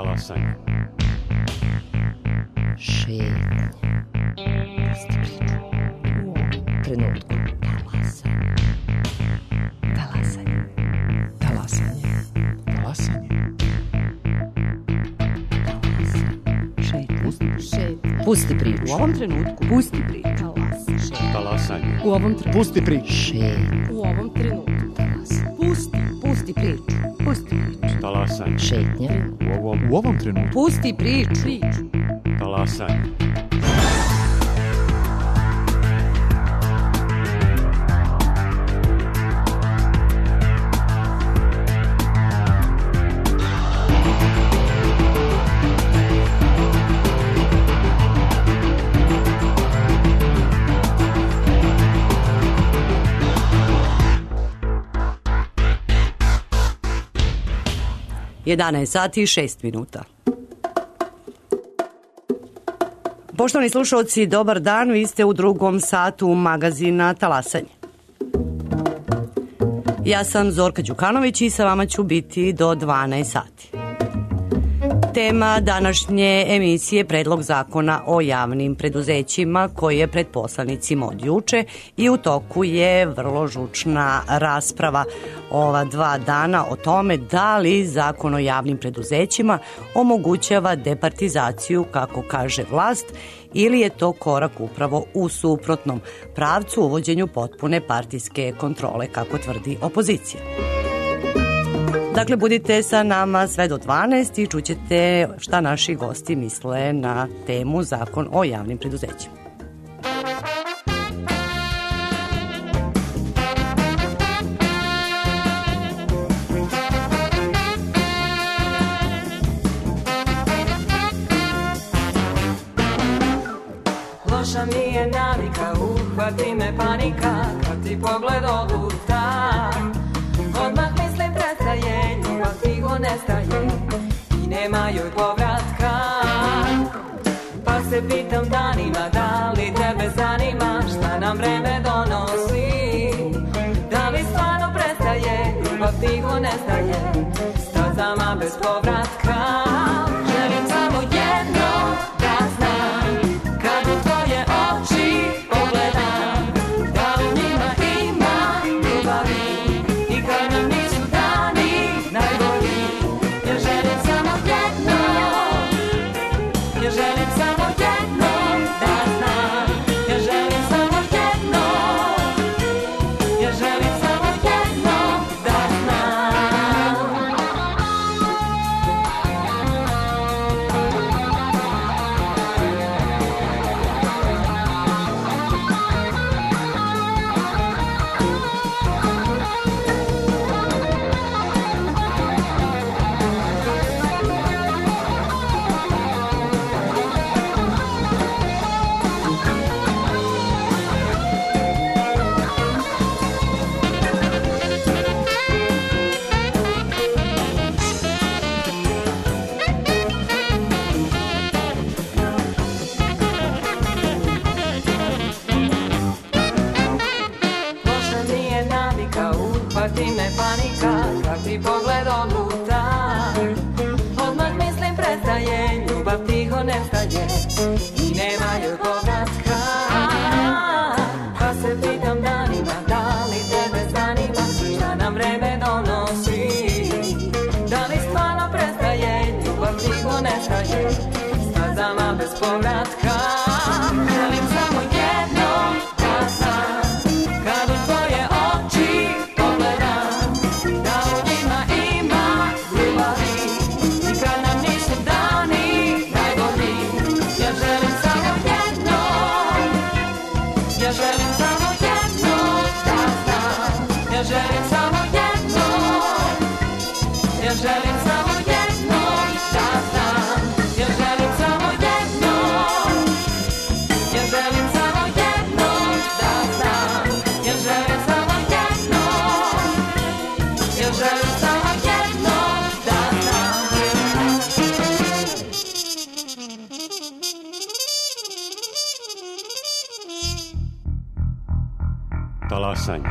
Talasanje. Šetnje. Pusti priču. U ovom trenutku. Talasanje. Talasanje. Talasanje. Šetnje. Pusti priču. U ovom trenutku. Pusti priču. Talasanje. U ovom trenutku. Pusti priču. Šetnje. U ovom trenutku. Pusti priču. Pusti priču. Talasanje. Šetnje. U ovom trenutku. Pusti priču. Talasanje. Jedanaest sati i 6 minuta. Poštovani slušalci, dobar dan, vi ste u drugom satu magazina Talasanje. Ja sam Zorka Đukanović i sa vama ću biti do 12 sati. Tema današnje emisije je Predlog zakona o javnim preduzećima koji je pred poslanicima od juče i u toku je vrlo žučna rasprava ova 2 dana o tome da li zakon o javnim preduzećima omogućava departizaciju, kako kaže vlast, ili je to korak upravo u suprotnom pravcu, uvođenju potpune partijske kontrole, kako tvrdi opozicija. Dakle, budite sa nama sve do 12 i čućete šta naši gosti misle na temu Zakon o javnim preduzećima. Loša mi je navika, uhvati me panika, kad ti pogled oduta. Odmah mislim prestaje, ljubav tiho nestaje i nema joj povratka. Pa se pitam danima, da li tebe zanima šta nam vreme donosi. Da li stvarno prestaje, ljubav tiho nestaje, stazama bez povratka. Želim samo jedno da znam, kad u tvoje oči pogledam, da u njima ima ljubavi. Uhvati me panika, kad ti pogled odluta. Odmah mislim prestaje, ljubav tiho nestaje i nema joj povratka. Pa se pitam danima, da li tebe zanima šta nam vreme donosi. Da li stvarno prestaje, ljubav tiho nestaje, stazama bez povratka. Želim samo jedno da znam, kad u tvoje oči pogledam, da u njima ima ljubavi i kad nam nisu dani najbolji. Ja želim samo jedno, ja želim samo jedno da znam, ja želim samo jedno, ja želim samo jedno da znam, ja želim samo jedno, ja želim samo jedno da znam, ja želim samo jedno, ja želim samo jedno da znam. Talasanje.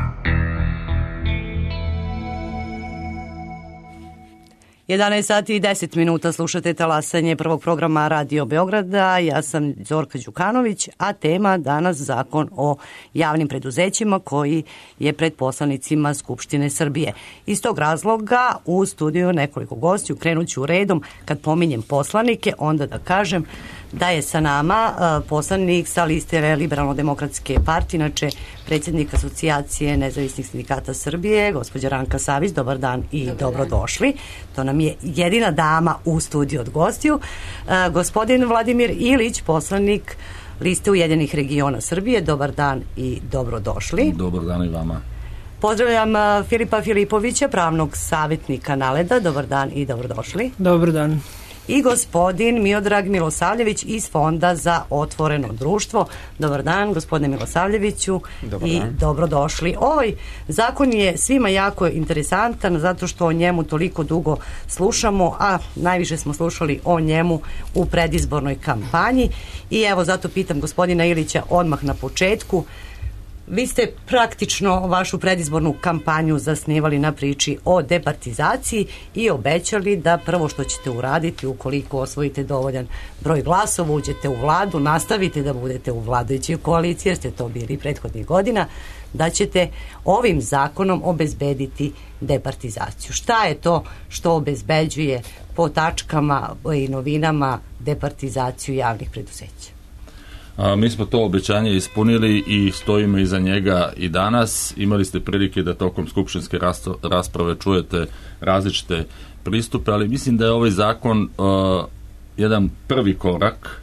11 sati i 10 minuta slušate talasanje prvog programa Radio Beograda. Ja sam Zorka Đukanović, a tema danas zakon o javnim preduzećima koji je pred poslanicima Skupštine Srbije. Iz tog razloga u studiju nekoliko gostiju, krenut ću redom. Kad pominjem poslanike, onda da kažem da je sa nama poslanik sa liste Liberalno-demokratske partije, inače predsjednik Asocijacije nezavisnih sindikata Srbije, gospođa Ranka Savić. Dobar dan i dobrodošli. To nam je jedina dama u studiju od gostiju. Gospodin Vladimir Ilić, poslanik liste Ujedinjenih regiona Srbije. Dobar dan i dobrodošli. Dobar dan i vama. Pozdravljam Filipa Filipovića, pravnog savjetnika NALED-a. Dobar dan i dobrodošli. Dobar dan. I gospodin Miodrag Milosavljević iz Fonda za otvoreno društvo. Dobar dan, gospodine Milosavljeviću. Dobar i dan. dobrodošli. Ovaj zakon je svima jako interesantan zato što o njemu toliko dugo slušamo, a najviše smo slušali o njemu u predizbornoj kampanji. I evo zato pitam gospodina Ilića odmah na početku. Vi ste praktično vašu predizbornu kampanju zasnivali na priči o departizaciji i obećali da prvo što ćete uraditi ukoliko osvojite dovoljan broj glasova, uđete u vladu, nastavite da budete u vladajućoj koaliciji jer ste to bili prethodnih godina, da ćete ovim zakonom obezbediti departizaciju. Šta je to što obezbeđuje po tačkama i novinama departizaciju javnih preduzeća? Mi smo to obećanje ispunili i stojimo iza njega i danas. Imali ste prilike da tokom skupštinske rasprave čujete različite pristupe, ali mislim da je ovaj zakon jedan prvi korak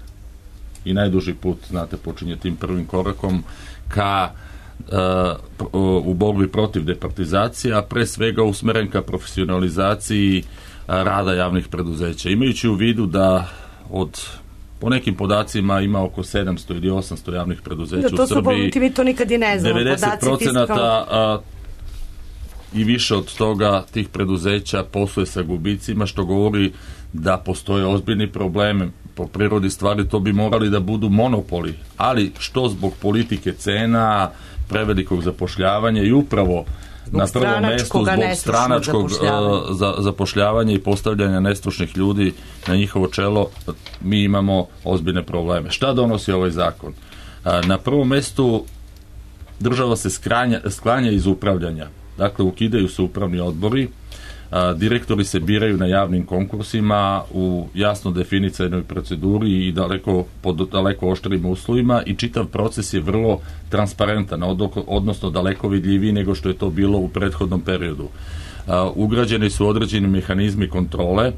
i najduži put, znate, počinje tim prvim korakom ka u borbi protiv departizacije, a pre svega usmeren ka profesionalizaciji rada javnih preduzeća. Imajući u vidu da po nekim podacima ima oko 700 ili 800 javnih preduzeća u Srbiji. Mi to nikad i ne znamo. 90% i više od toga tih preduzeća posluje sa gubicima, što govori da postoje ozbiljni problemi. Po prirodi stvari to bi morali da budu monopoli, ali što zbog politike cena, prevelikog zapošljavanja i upravo na prvom mestu zbog stranačkog zapošljavanja i postavljanja nestručnih ljudi na njihovo čelo, mi imamo ozbiljne probleme. Šta donosi ovaj zakon? Na prvom mestu država se sklanja iz upravljanja. Dakle, ukidaju se upravni odbori, direktori se biraju na javnim konkursima u jasno definicanoj proceduri i pod daleko oštrim uslovima i čitav proces je vrlo transparentan, odnosno daleko vidljiviji nego što je to bilo u prethodnom periodu. Ugrađeni su određeni mehanizmi kontrole,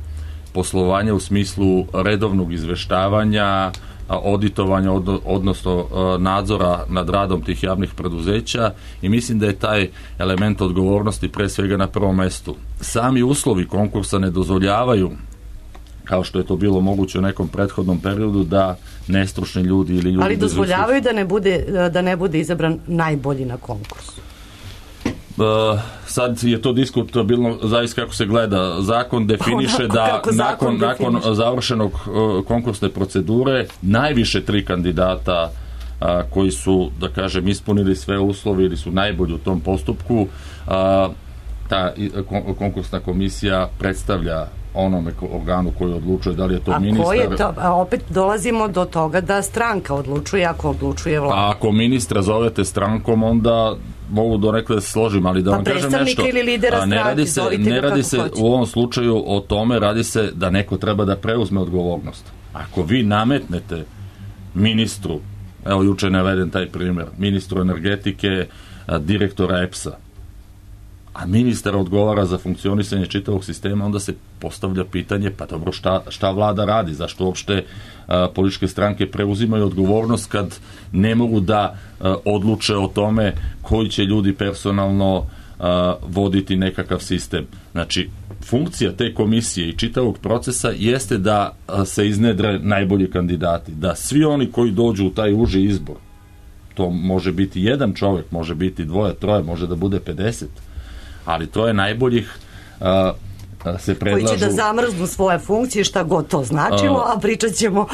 poslovanja u smislu redovnog izveštavanja, auditovanja, odnosno nadzora nad radom tih javnih preduzeća i mislim da je taj element odgovornosti pre svega na prvom mestu. Sami uslovi konkursa ne dozvoljavaju, kao što je to bilo moguće u nekom prethodnom periodu, da nestručni ljudi ili ljudi... Ali dozvoljavaju da ne bude izabran najbolji na konkursu. Sad je to diskutabilno zaista kako se gleda. Zakon definiše da nakon završenog konkursne procedure najviše 3 kandidata koji su, da kažem, ispunili sve uslove ili su najbolji u tom postupku, ta konkursna komisija predstavlja onome organu koji odlučuje da li je to ministar. A ko je to? Opet dolazimo do toga da stranka odlučuje ako odlučuje vlada. A ako ministra zovete strankom, onda mogu donekle da se složim, ali da vam kažem nešto. Ili lidera stranke, ne radi se u ovom slučaju o tome, radi se da neko treba da preuzme odgovornost. Ako vi nametnete ministru, evo juče naveden taj primjer, ministru energetike, direktora EPS-a, a ministar odgovara za funkcionisanje čitavog sistema, onda se postavlja pitanje, pa dobro, šta vlada radi, zašto uopšte političke stranke preuzimaju odgovornost kad ne mogu da odluče o tome koji će ljudi personalno voditi nekakav sistem. Znači, funkcija te komisije i čitavog procesa jeste da se iznedre najbolji kandidati, da svi oni koji dođu u taj uži izbor, to može biti jedan čovjek, može biti 2, 3, može da bude 50, ali to je najboljih se predlažu... Koji će da zamrznu svoje funkcije, šta god to značilo, a pričat ćemo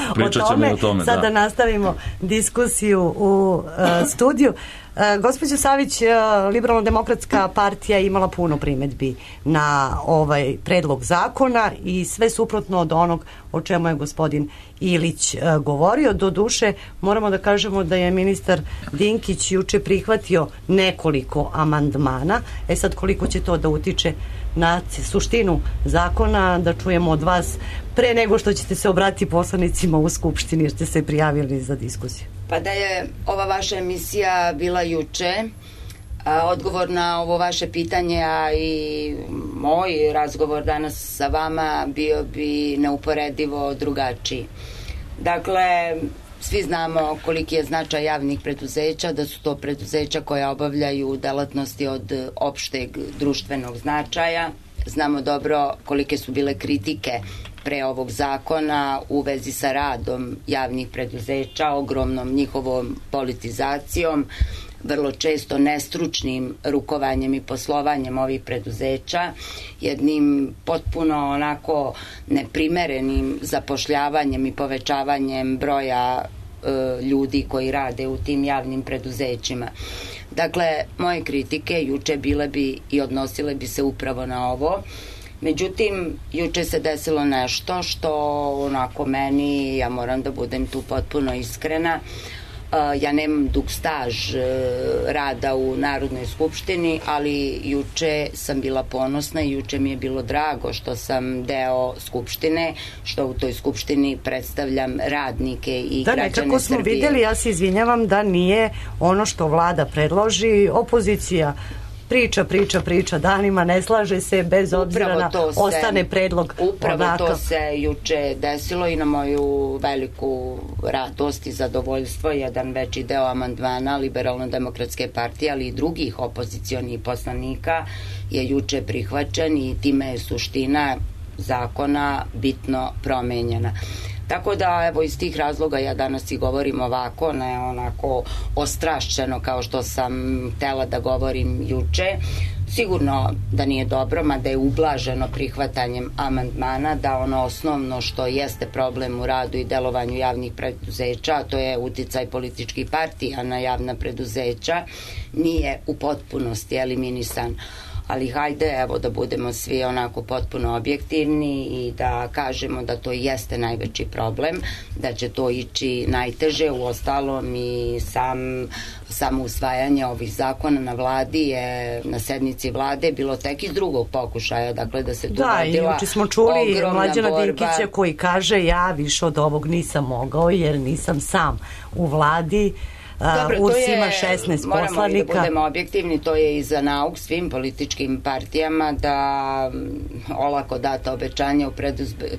o tome. Sada nastavimo diskusiju u studiju. Gospođo Savić, Liberalno-demokratska partija je imala puno primedbi na ovaj predlog zakona i sve suprotno od onog o čemu je gospodin Ilić govorio. Doduše, moramo da kažemo da je ministar Dinkić juče prihvatio nekoliko amandmana. Sad, koliko će to da utiče na suštinu zakona, da čujemo od vas pre nego što ćete se obratiti poslanicima u Skupštini, jer ste se prijavili za diskusiju. Pa da je ova vaša emisija bila juče, odgovor na ovo vaše pitanje, a i moj razgovor danas sa vama bio bi neuporedivo drugačiji. Dakle, svi znamo koliki je značaj javnih preduzeća, da su to preduzeća koja obavljaju delatnosti od opšteg društvenog značaja. Znamo dobro kolike su bile kritike pre ovog zakona u vezi sa radom javnih preduzeća, ogromnom njihovom politizacijom, vrlo često nestručnim rukovanjem i poslovanjem ovih preduzeća, jednim potpuno onako neprimerenim zapošljavanjem i povećavanjem broja ljudi koji rade u tim javnim preduzećima. Dakle, moje kritike juče bile bi i odnosile bi se upravo na ovo. Međutim, juče se desilo nešto što onako meni, ja moram da budem tu potpuno iskrena, ja nemam dug staž rada u Narodnoj skupštini, ali juče sam bila ponosna i juče mi je bilo drago što sam deo skupštine, što u toj skupštini predstavljam radnike i građane Srbije. Da, nekako smo vidjeli, ja se izvinjavam, da nije ono što vlada predloži, opozicija priča danima, ne slaže se, bez obzira na ostane predlog. Upravo to se juče desilo i na moju veliku radost i zadovoljstvo. Jedan veći deo amandmana Liberalno-demokratske partije, ali i drugih opozicionih poslanika je juče prihvaćen i time je suština zakona bitno promenjena. Tako da, evo, iz tih razloga ja danas i govorim ovako, ne onako ostrašćeno kao što sam htela da govorim juče. Sigurno da nije dobro, mada je ublaženo prihvatanjem amandmana, da ono osnovno što jeste problem u radu i delovanju javnih preduzeća, a to je uticaj političkih partija na javna preduzeća, nije u potpunosti eliminisan. Ali hajde, evo, da budemo svi onako potpuno objektivni i da kažemo da to jeste najveći problem, da će to ići najteže. Uostalom i samo usvajanje ovih zakona na vladi je, na sednici vlade, bilo tek iz drugog pokušaja, dakle da se tu vodila ogromna borba. Da, i juče smo čuli Mlađana Dinkića koji kaže ja više od ovog nisam mogao jer nisam sam u vladi. Dobro, URS ima 16 poslanika. Moramo i da budemo objektivni, to je i za nauk svim političkim partijama da olako data obećanja u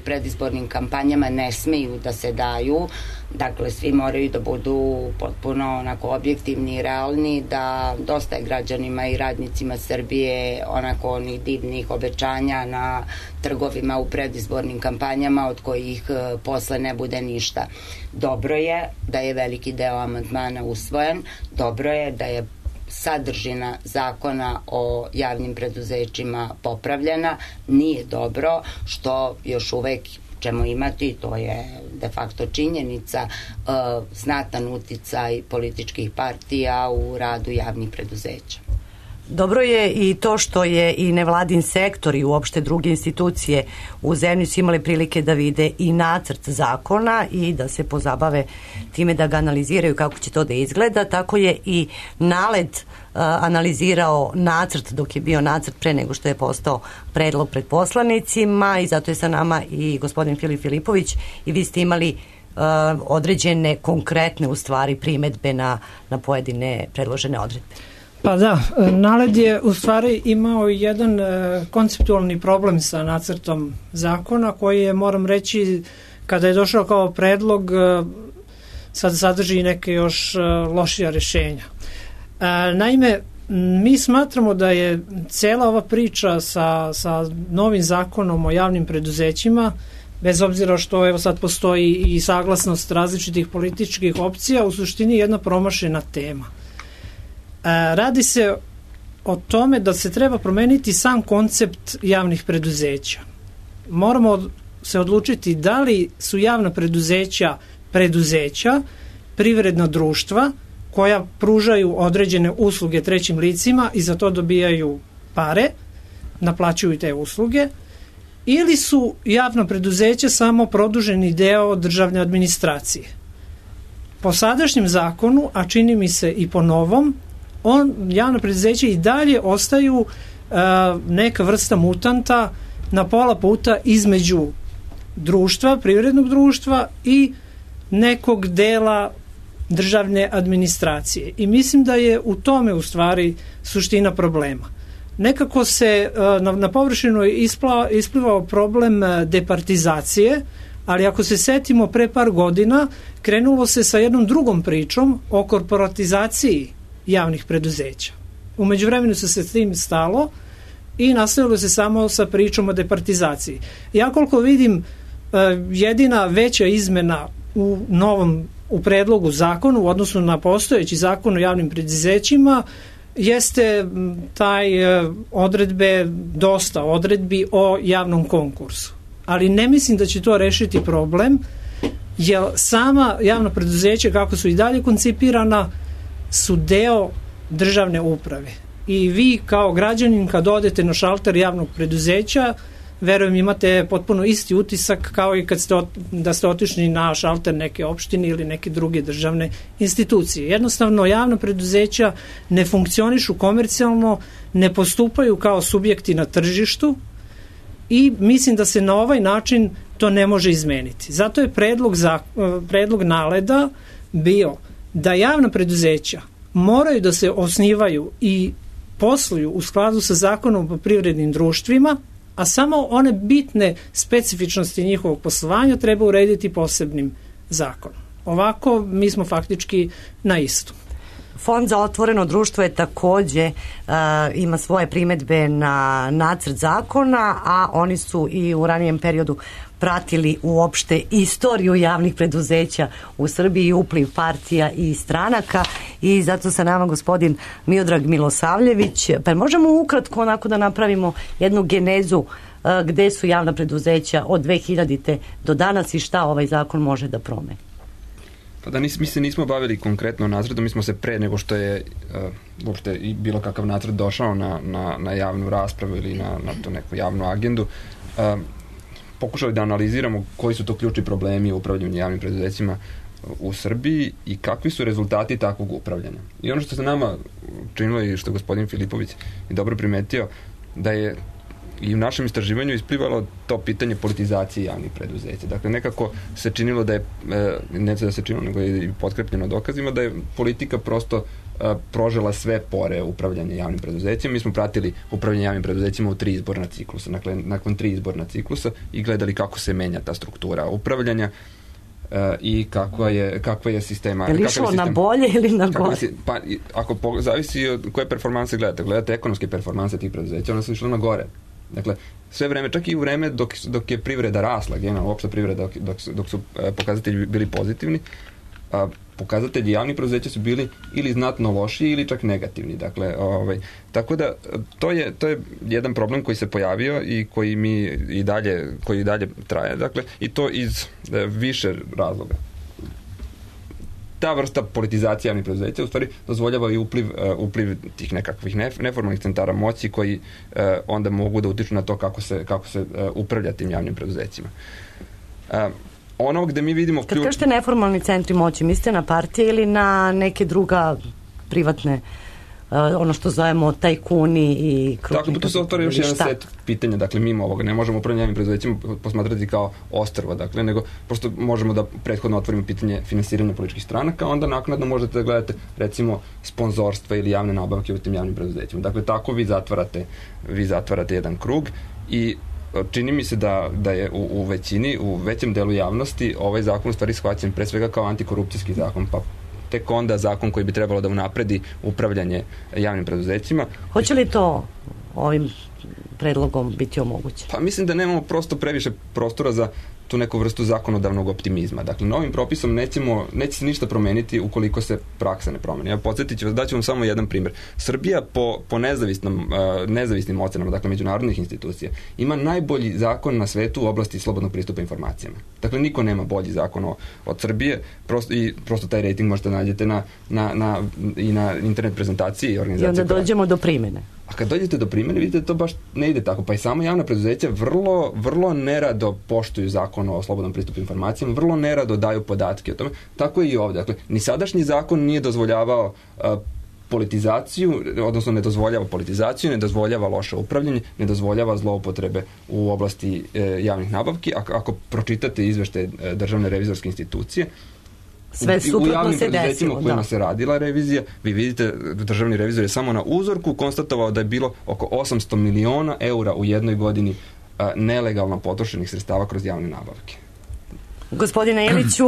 predizbornim kampanjama ne smeju da se daju. Dakle, svi moraju da budu potpuno onako objektivni i realni, da dosta je građanima i radnicima Srbije onako onih divnih obećanja na trgovima u predizbornim kampanjama od kojih posle ne bude ništa. Dobro je da je veliki deo amandmana usvojen, dobro je da je sadržina zakona o javnim preduzećima popravljena, nije dobro što još uvek ćemo imati, to je de facto činjenica, znatan uticaj političkih partija u radu javnih preduzeća. Dobro je i to što je i nevladin sektor i uopšte druge institucije u zemlji su imali prilike da vide i nacrt zakona i da se pozabave time da ga analiziraju kako će to da izgleda. Tako je i NALED analizirao nacrt dok je bio nacrt pre nego što je postao predlog pred poslanicima i zato je sa nama i gospodin Filip Filipović i vi ste imali određene konkretne u stvari primedbe na pojedine predložene odredbe. Pa da, NALED je u stvari imao jedan konceptualni problem sa nacrtom zakona koji je, moram reći, kada je došao kao predlog, sad sadrži neke još lošija rešenja. Naime, mi smatramo da je cela ova priča sa novim zakonom o javnim preduzećima, bez obzira što evo sad postoji i saglasnost različitih političkih opcija, u suštini jedna promašena tema. Radi se o tome da se treba promeniti sam koncept javnih preduzeća. Moramo se odlučiti da li su javna preduzeća privredna društva koja pružaju određene usluge trećim licima i za to dobijaju pare, naplaćuju te usluge, ili su javna preduzeća samo produženi deo državne administracije. Po sadašnjem zakonu, a čini mi se i po novom, javna preduzeća i dalje ostaju neka vrsta mutanta na pola puta između društva, privrednog društva i nekog dela državne administracije. I mislim da je u tome u stvari suština problema. Nekako se na površinu isplivao problem departizacije, ali ako se setimo pre par godina, krenulo se sa jednom drugom pričom o korporatizaciji javnih preduzeća. U međuvremenu se s tim stalo i nastavilo se samo sa pričom o departizaciji. Ja koliko vidim, jedina veća izmena u predlogu zakonu u odnosu na postojeći zakon o javnim preduzećima jeste dosta odredbi o javnom konkursu. Ali ne mislim da će to rešiti problem, jer sama javna preduzeća, kako su i dalje koncipirana, su deo državne uprave. I vi kao građanin kad odete na šalter javnog preduzeća, verujem imate potpuno isti utisak kao i kad da ste otišli na šalter neke opštine ili neke druge državne institucije. Jednostavno, javna preduzeća ne funkcionišu komercijalno, ne postupaju kao subjekti na tržištu i mislim da se na ovaj način to ne može izmeniti. Zato je predlog NALED-a bio da javna preduzeća moraju da se osnivaju i posluju u skladu sa zakonom o privrednim društvima, a samo one bitne specifičnosti njihovog poslovanja treba urediti posebnim zakonom. Ovako, mi smo faktički na istu. Fond za otvoreno društvo je takođe ima svoje primedbe na nacrt zakona, a oni su i u ranijem periodu pratili uopšte istoriju javnih preduzeća u Srbiji, upliv partija i stranaka, i zato sa nama gospodin Miodrag Milosavljević. Pa možemo ukratko onako da napravimo jednu genezu gde su javna preduzeća od 2000. do danas i šta ovaj zakon može da promeni? Pa da mi se nismo bavili konkretno nacrtom, mi smo se pre nego što je uopšte i bilo kakav nacrt došao na javnu raspravu ili na tu neku javnu agendu, pokušali da analiziramo koji su to ključni problemi u upravljanju javnim preduzećima u Srbiji i kakvi su rezultati takvog upravljanja. I ono što se nama činilo i što je gospodin Filipović i dobro primetio, da je i u našem istraživanju isplivalo to pitanje politizacije javnih preduzeća. Dakle, nekako se činilo da je, ne da se činilo, nego je i potkrepljeno dokazima, da je politika prosto prožela sve pore upravljanja javnim preduzećima. Mi smo pratili upravljanje javnim preduzećima u 3 izborna ciklusa. Dakle, nakon 3 izborna ciklusa i gledali kako se menja ta struktura upravljanja i kakva je sistema. Je li išlo na bolje ili na gore? Pa, ako zavisi od koje performanse gledate ekonomske performanse tih preduzeća, ona su išla na gore. Dakle, sve vreme, čak i u vreme dok je privreda rasla, generalno opšta privreda, dok su pokazatelji bili pozitivni, pokazatelji javnih preduzeća su bili ili znatno lošiji ili čak negativni. Dakle, tako da to je jedan problem koji se pojavio i koji i dalje traje. Dakle, i to iz više razloga. Ta vrsta politizacije javnih preduzeća u stvari dozvoljava i upliv tih nekakvih neformalnih centara moći koji onda mogu da utiču na to kako se upravlja tim javnim preduzećima. Ono gde mi vidimo Kad kažete neformalni centri moći, mislite na partije ili na neke druga privatne, ono što zovemo tajkuni i krupni? Tako, tu se otvara još jedan set pitanja, dakle mimo ovoga ne možemo upravljanje javnim preduzećima posmatrati kao ostrvo, dakle, nego prosto možemo da prethodno otvorimo pitanje finansiranja političkih stranaka, onda naknadno možete da gledate recimo sponzorstva ili javne nabavke u tim javnim preduzećima. Dakle, tako vi zatvarate jedan krug i čini mi se da je u većem delu javnosti ovaj zakon u stvari shvaćen pre svega kao antikorupcijski zakon, pa tek onda zakon koji bi trebalo da unapredi upravljanje javnim preduzećima. Hoće li to ovim predlogom biti omogućeno? Pa mislim da nemamo prosto previše prostora tu neku vrstu zakonodavnog optimizma. Dakle, novim propisom neće se ništa promeniti ukoliko se praksa ne promeni. Ja podsjetit ću vas, daću vam samo jedan primjer. Srbija po nezavisnim ocenama, dakle međunarodnih institucija, ima najbolji zakon na svetu u oblasti slobodnog pristupa informacijama. Dakle, niko nema bolji zakon od Srbije, prosto taj rating možete nađete i na internet prezentaciji i organizacije. I onda dođemo do primjene. A kad dođete do primjene, vidite da to baš ne ide tako. Pa i samo javna preduzeća vrlo nerado poštuju zakon o slobodnom pristupu informacijama, vrlo nerado daju podatke o tome. Tako je i ovdje. Dakle, ni sadašnji zakon nije dozvoljavao politizaciju, odnosno ne dozvoljava politizaciju, ne dozvoljava loše upravljanje, ne dozvoljava zloupotrebe u oblasti javnih nabavki. Ako pročitate izveštaje Državne revizorske institucije, sve suprotno se desilo. U javnim preduzećima u kojima se radila revizija, vi vidite, državni revizor je samo na uzorku konstatovao da je bilo oko 800 miliona eura u jednoj godini nelegalno potrošenih sredstava kroz javne nabavke. Gospodine Iliću,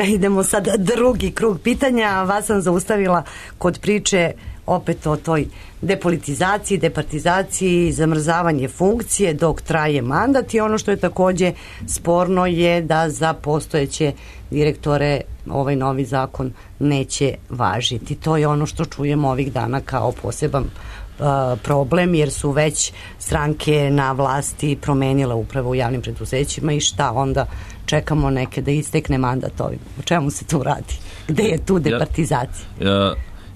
idemo sad drugi krug pitanja. Vas sam zaustavila kod priče opet o toj depolitizaciji, departizaciji, zamrzavanje funkcije dok traje mandat, i ono što je takođe sporno je da za postojeće direktore ovaj novi zakon neće važiti. To je ono što čujemo ovih dana kao poseban problem, jer su već stranke na vlasti promenile upravo u javnim preduzećima, i šta onda čekamo neke da istekne mandat ovim. O čemu se tu radi? Gde je tu departizacija?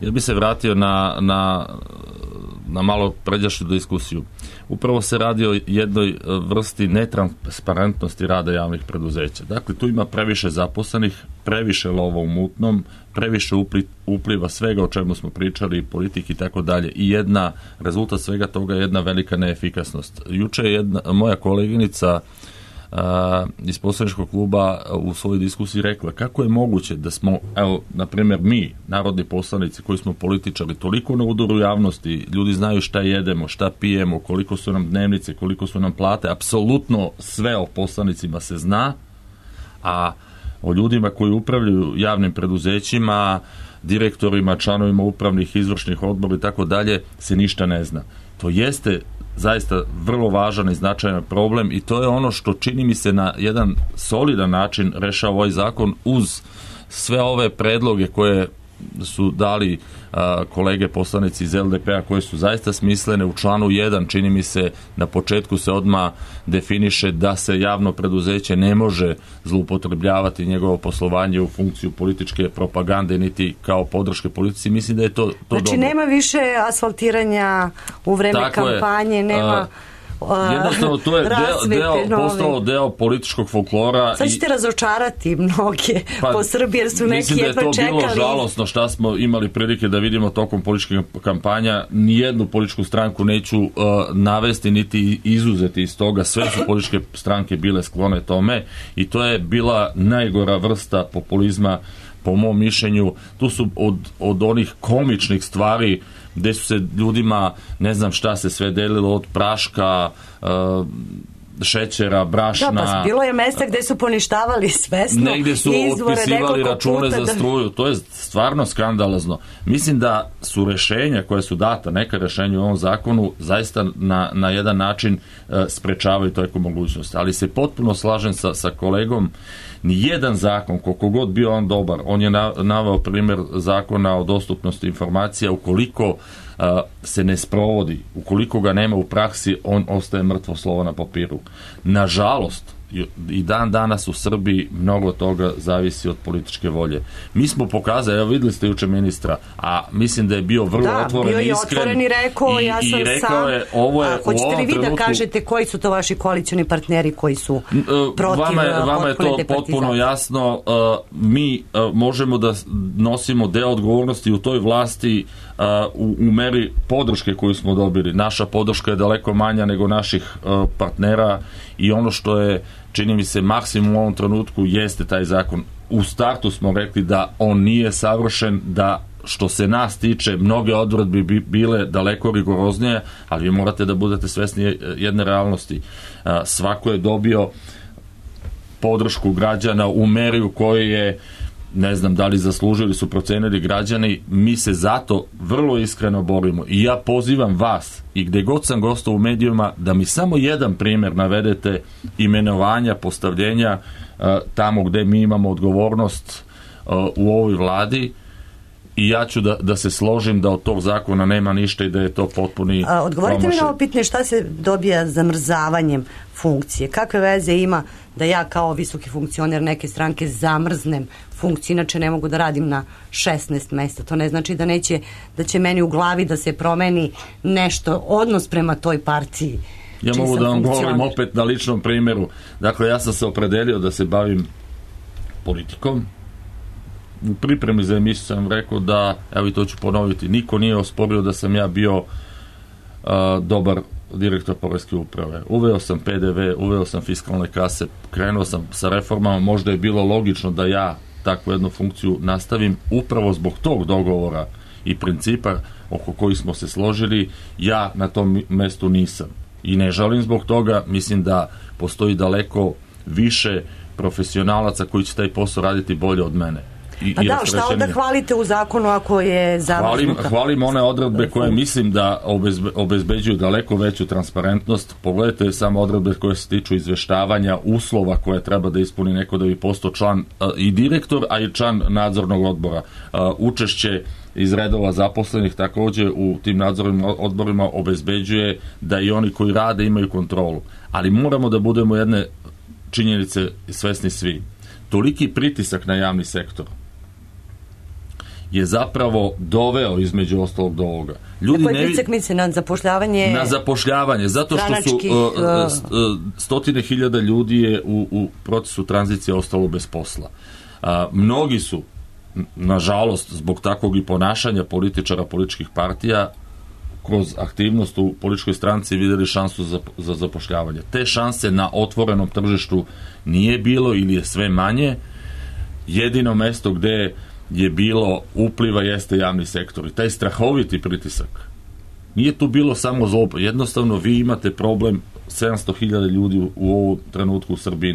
Ja bi se vratio na malo pređašnju diskusiju. Upravo se radi o jednoj vrsti netransparentnosti rada javnih preduzeća. Dakle, tu ima previše zaposlenih, previše lova u mutnom, previše upliva svega o čemu smo pričali, politike i tako dalje. I rezultat svega toga je jedna velika neefikasnost. Juče je moja koleginica iz poslaničkog kluba u svojoj diskusiji rekla kako je moguće da smo, evo, na primjer mi, narodni poslanici koji smo političari, toliko na udaru javnosti, ljudi znaju šta jedemo, šta pijemo, koliko su nam dnevnice, koliko su nam plate, apsolutno sve o poslanicima se zna, a o ljudima koji upravljaju javnim preduzećima, direktorima, članovima upravnih, izvršnih odbora i tako dalje se ništa ne zna. To jeste zaista vrlo važan i značajan problem, i to je ono što čini mi se na jedan solidan način rešava ovaj zakon, uz sve ove predloge koje su dali kolege poslanici iz LDP-a, koje su zaista smislene. U članu 1 čini mi se na početku se odmah definiše da se javno preduzeće ne može zloupotrebljavati njegovo poslovanje u funkciju političke propagande niti kao podrške politici. Mislim da je to znači dobro. Nema više asfaltiranja u vreme kampanje, nema jednostavno to je postalo deo političkog folklora. Sad ćete razočarati mnoge po Srbiji, jer su neki jedva čekali. Mislim da je to bilo žalosno šta smo imali prilike da vidimo tokom političkih kampanja. Nijednu političku stranku neću navesti niti izuzeti iz toga. Sve su političke stranke bile sklone tome, i to je bila najgora vrsta populizma po mom mišljenju. Tu su od onih komičnih stvari gde su se ljudima, ne znam šta se sve delilo, od praška, šećera, brašna. Da, pa bilo je mesta gde su poništavali svesno negde su otpisivali račune za struju. To je stvarno skandalozno. Mislim da su rešenja koja su data, neka rešenja u ovom zakonu, zaista na jedan način sprečavaju toliko mogućnosti. Ali se potpuno slažem sa kolegom. Nijedan zakon, koliko god bio on dobar, on je naveo primjer zakona o dostupnosti informacija, ukoliko se ne sprovodi, ukoliko ga nema u praksi, on ostaje mrtvo slovo na papiru. Nažalost, i dan danas u Srbiji mnogo toga zavisi od političke volje. Mi smo pokazali, evo videli ste juče ministra, a mislim da je bio vrlo otvoren i iskren. Da, bio je otvoren i rekao, ja sam sam. Hoćete li vi da kažete koji su to vaši koalicioni partneri koji su protiv vama je to potpuno jasno. Mi možemo da nosimo deo odgovornosti u toj vlasti u meri podrške koju smo dobili. Naša podrška je daleko manja nego naših partnera, i ono što je, čini mi se, maksimum u ovom trenutku jeste taj zakon. U startu smo rekli da on nije savršen, da što se nas tiče mnoge odredbe bi bile daleko rigoroznije, ali vi morate da budete svesni jedne realnosti. Svako je dobio podršku građana u meri u kojoj je ne znam da li zaslužili, su procenili građani, mi se zato vrlo iskreno borimo i ja pozivam vas i gde god sam gostao u medijima da mi samo jedan primjer navedete imenovanja, postavljenja tamo gde mi imamo odgovornost u ovoj vladi i ja ću da se složim da od tog zakona nema ništa i da je to potpuni Odgovorite mi na ovo pitanje, šta se dobija zamrzavanjem funkcije? Kakve veze ima da ja kao visoki funkcioner neke stranke zamrznem funkciju, inače ne mogu da radim na 16 mesta. To ne znači da će meni u glavi da se promeni nešto, odnos prema toj partiji. Ja mogu da vam govorim opet na ličnom primjeru. Dakle, ja sam se opredelio da se bavim politikom. U pripremi za emisiju sam rekao da, evo i to ću ponoviti, niko nije osporio da sam ja bio dobar direktor poreske uprave. Uveo sam PDV, uveo sam fiskalne kase, krenuo sam sa reformama, možda je bilo logično da ja takvu jednu funkciju nastavim upravo zbog tog dogovora i principa oko kojih smo se složili, ja na tom mestu nisam. I ne žalim zbog toga, mislim da postoji daleko više profesionalaca koji će taj posao raditi bolje od mene. Pa da, šta onda hvalite u zakonu ako je zamrznuta? Hvalim one odredbe koje mislim da obezbeđuju daleko veću transparentnost. Pogledajte samo odredbe koje se tiču izveštavanja uslova koje treba da ispuni neko da bi postao član i direktor, a i član nadzornog odbora. Učešće iz redova zaposlenih također u tim nadzornim odborima obezbeđuje da i oni koji rade imaju kontrolu. Ali moramo da budemo jedne činjenice svesni svi. Toliki pritisak na javni sektor je zapravo doveo između ostalog do ovoga. Ljudi na koji pritisak misli? Na zapošljavanje? Na zapošljavanje, zato što su stotine hiljada ljudi je u procesu tranzicije ostalo bez posla. Mnogi su, nažalost, zbog takvog i ponašanja političara, političkih partija, kroz aktivnost u političkoj stranci vidjeli šansu za zapošljavanje. Te šanse na otvorenom tržištu nije bilo ili je sve manje. Jedino mesto gde je bilo upliva jeste javni sektor. I taj strahoviti pritisak. Nije tu bilo samo zloba. Jednostavno vi imate problem, 700.000 ljudi u ovom trenutku u Srbiji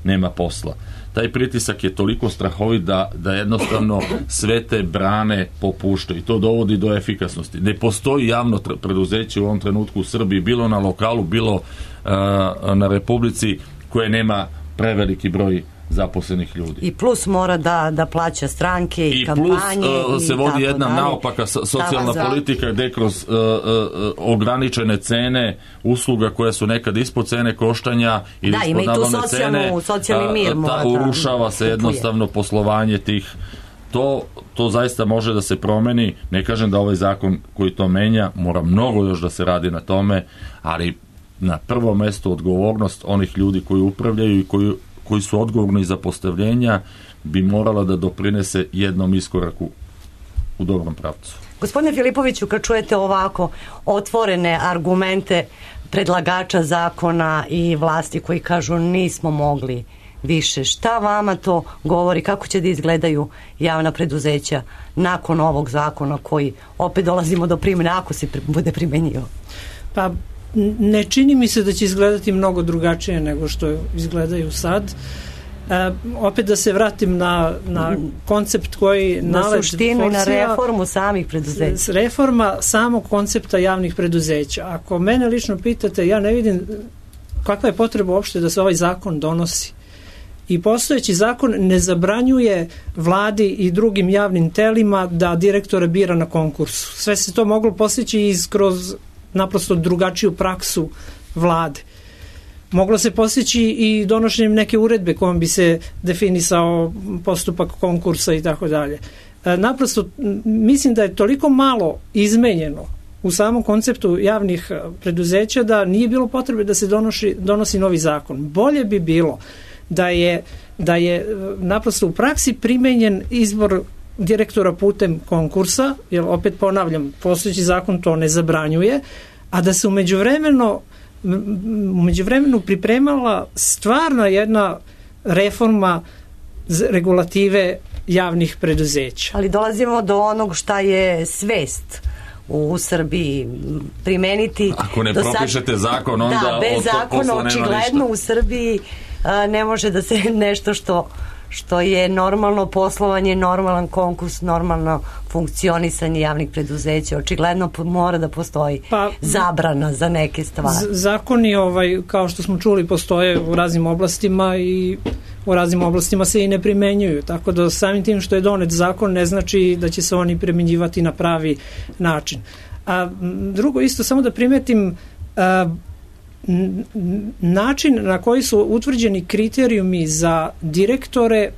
nema posla. Taj pritisak je toliko strahovit da jednostavno sve te brane popuštaju i to dovodi do efikasnosti. Ne postoji javno preduzeće u ovom trenutku u Srbiji, bilo na lokalu, bilo na Republici, koje nema preveliki broj zaposlenih ljudi. I plus mora da plaća stranke i kampanje. I plus se vodi jedna naopaka socijalna politika gde kroz ograničene cene usluga koje su nekad ispod cene koštanja ili ispod nabavne cene, urušava se jednostavno poslovanje tih. To zaista može da se promeni. Ne kažem da ovaj zakon koji to menja, mora mnogo još da se radi na tome, ali na prvo mesto odgovornost onih ljudi koji upravljaju i koji su odgovorni za postavljenja bi morala da doprinese jednom iskoraku u dobrom pravcu. Gospodine Filipoviću, kad čujete ovako otvorene argumente predlagača zakona i vlasti koji kažu nismo mogli više, šta vama to govori, kako će da izgledaju javna preduzeća nakon ovog zakona koji opet dolazimo do primjene, ako se bude primenjio? Pa ne čini mi se da će izgledati mnogo drugačije nego što izgledaju sad. Opet da se vratim na koncept koji na suštinu i na reformu samih preduzeća. Reforma samog koncepta javnih preduzeća. Ako mene lično pitate, ja ne vidim kakva je potreba uopšte da se ovaj zakon donosi. I postojeći zakon ne zabranjuje vladi i drugim javnim telima da direktore bira na konkursu. Sve se to moglo postići kroz naprosto drugačiju praksu vlade. Moglo se postići i donošenjem neke uredbe kojom bi se definisao postupak konkursa i tako dalje. Naprosto mislim da je toliko malo izmenjeno u samom konceptu javnih preduzeća da nije bilo potrebe da se donosi novi zakon. Bolje bi bilo da je naprosto u praksi primenjen izbor direktora putem konkursa, jer opet ponavljam, postojeći zakon to ne zabranjuje, a da se u međuvremenu pripremala stvarna jedna reforma regulative javnih preduzeća. Ali dolazimo do onog šta je svest u Srbiji primeniti. Ako ne propišete zakon, onda bez zakona očigledno u Srbiji ne može da se nešto što je normalno poslovanje, normalan konkurs, normalno funkcionisanje javnih preduzeća. Očigledno mora da postoji zabrana za neke stvari. Zakoni, kao što smo čuli, postoje u raznim oblastima i u raznim oblastima se i ne primenjuju. Tako da samim tim što je donet zakon ne znači da će se oni primenjivati na pravi način. A drugo isto, samo da primetim, način na koji su utvrđeni kriterijumi za direktore